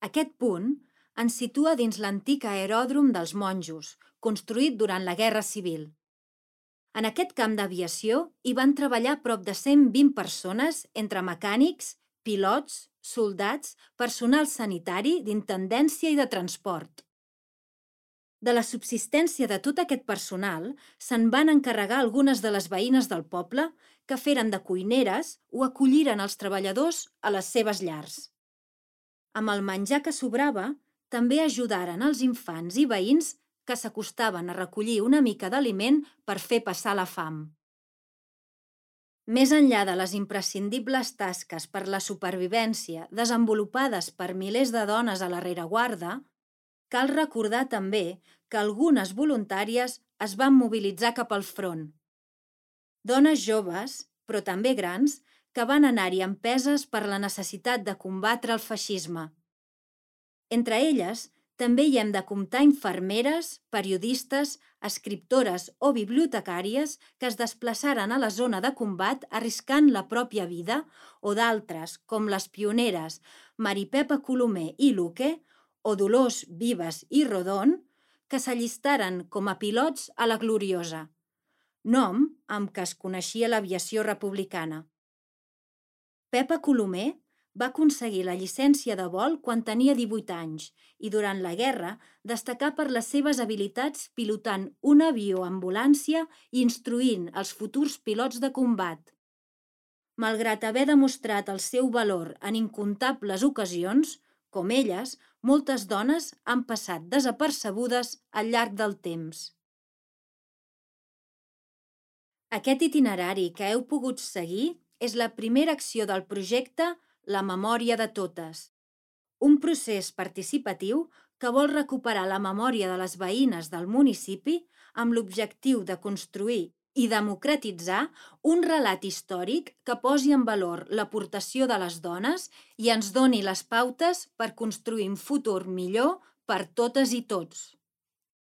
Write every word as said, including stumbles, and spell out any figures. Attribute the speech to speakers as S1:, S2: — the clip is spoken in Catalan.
S1: Aquest punt ens situa dins l'antic aeròdrom dels monjos, construït durant la Guerra Civil. En aquest camp d'aviació hi van treballar prop de cent vint persones entre mecànics, pilots, soldats, personal sanitari, d'intendència i de transport. De la subsistència de tot aquest personal se'n van encarregar algunes de les veïnes del poble que feren de cuineres o acolliren els treballadors a les seves llars. Amb el menjar que sobrava, també ajudaren els infants i veïns que s'acostaven a recollir una mica d'aliment per fer passar la fam. Més enllà de les imprescindibles tasques per la supervivència desenvolupades per milers de dones a la rereguarda, cal recordar també que algunes voluntàries es van mobilitzar cap al front. Dones joves, però també grans, que van anar-hi empeses per la necessitat de combatre el feixisme. Entre elles, també hi hem de comptar infermeres, periodistes, escriptores o bibliotecàries que es desplaçaren a la zona de combat arriscant la pròpia vida, o d'altres, com les pioneres Maripepa Colomer i Luque, o Dolors Vives i Rodon, que s'allistaren com a pilots a la Gloriosa, nom amb què es coneixia l'aviació republicana. Pepa Colomer va aconseguir la llicència de vol quan tenia divuit anys i durant la guerra destacà per les seves habilitats pilotant un avió ambulància i instruint els futurs pilots de combat. Malgrat haver demostrat el seu valor en incomptables ocasions, com elles, moltes dones han passat desapercebudes al llarg del temps. Aquest itinerari que heu pogut seguir és la primera acció del projecte La memòria de totes, un procés participatiu que vol recuperar la memòria de les veïnes del municipi amb l'objectiu de construir i democratitzar un relat històric que posi en valor l'aportació de les dones i ens doni les pautes per construir un futur millor per totes i tots.